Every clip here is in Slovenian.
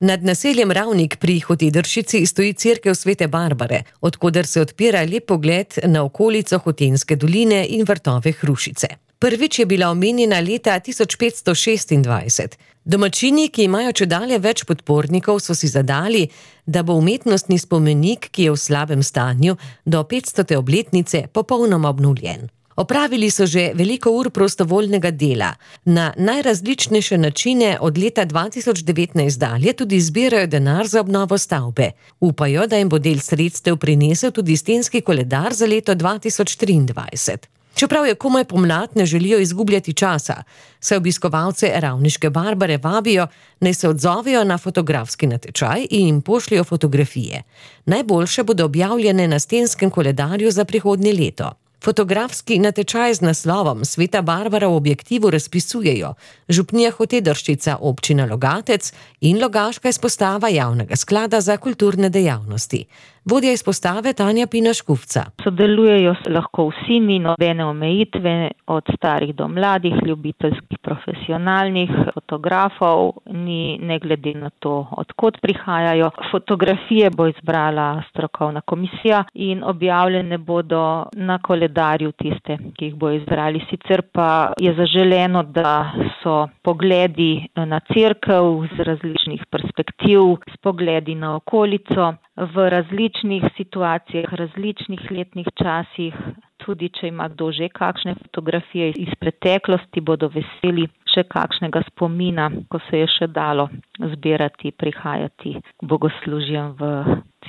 Nad naseljem Ravnik pri Hotedršici stoji cerkev Svete Barbare, od koder se odpira lep pogled na okolico Hotenjske doline in vrtove Hrušice. Prvič je bila omenjena leta 1526. Domačini, ki imajo čedalje več podpornikov, so si zadali, da bo umetnostni spomenik, ki je v slabem stanju, do 500. obletnice popolnoma obnovljen. Opravili so že veliko ur prostovoljnega dela. Na najrazličnejše načine od leta 2019 dalje tudi zbirajo denar za obnovo stavbe. Upajo, da jim bo del sredstev prinesel tudi stenski koledar za leto 2023. Čeprav je komaj pomlad, ne želijo izgubljati časa, saj obiskovalce Ravniške Barbare vabijo, naj se odzovejo na fotografski natečaj in jim pošljejo fotografije. Najboljše bodo objavljene na stenskem koledarju za prihodnje leto. Fotografski natečaj z naslovom Sveta Barbara v objektivu razpisujejo župnija Hotedršica, občina Logatec in Logaška izpostava Javnega sklada za kulturne dejavnosti. Vodja izpostave Tanja Pina-Škufca. Sodelujejo lahko vsi, ni nobene omejitve, od starih do mladih, ljubiteljskih, profesionalnih fotografov, ni ne glede na to, odkot prihajajo. Fotografije bo izbrala strokovna komisija in objavljene bodo na koledarju tiste, ki jih bo izbrali. Sicer pa je zaželeno, da so pogledi na cerkev z različnih perspektiv, s pogledi na okolico, v različnih situacijah, različnih letnih časih, tudi če ima kdo že kakšne fotografije iz preteklosti, bodo veseli še kakšnega spomina, ko se je še dalo zbirati, prihajati k bogoslužjem v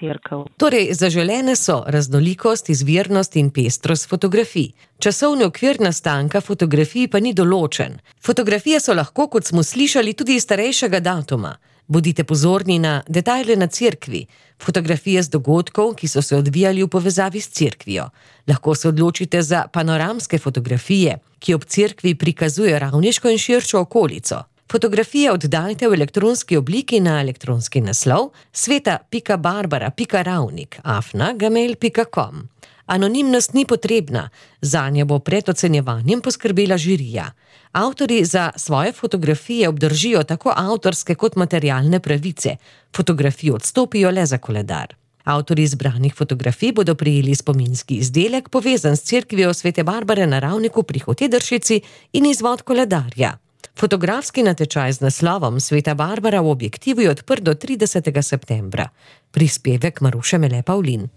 cerkev. Torej, zaželene so raznolikost, izvirnost in pestrost fotografij. Časovni okvir nastanka fotografij pa ni določen. Fotografije so lahko, kot smo slišali, tudi iz starejšega datuma. Bodite pozorni na detajle na cerkvi, fotografije z dogodkov, ki so se odvijali v povezavi s cerkvijo. Lahko se odločite za panoramske fotografije, ki ob cerkvi prikazujejo ravniško in širšo okolico. Fotografije oddajte v elektronski obliki na elektronski naslov sveta.barbara.ravnik@gmail.com. Anonimnost ni potrebna, zanje bo pred ocenjevanjem poskrbela žirija. Avtorji za svoje fotografije obdržijo tako avtorske kot materialne pravice. Fotografije odstopijo le za koledar. Avtorji izbranih fotografij bodo prejeli spominski izdelek, povezan s cerkvijo Svete Barbare na Ravniku pri Hotedršici in izvod koledarja. Fotografski natečaj z naslovom Sveta Barbara v objektivu je odprt do 30. septembra. Prispevek Maruše Mele Pavlin.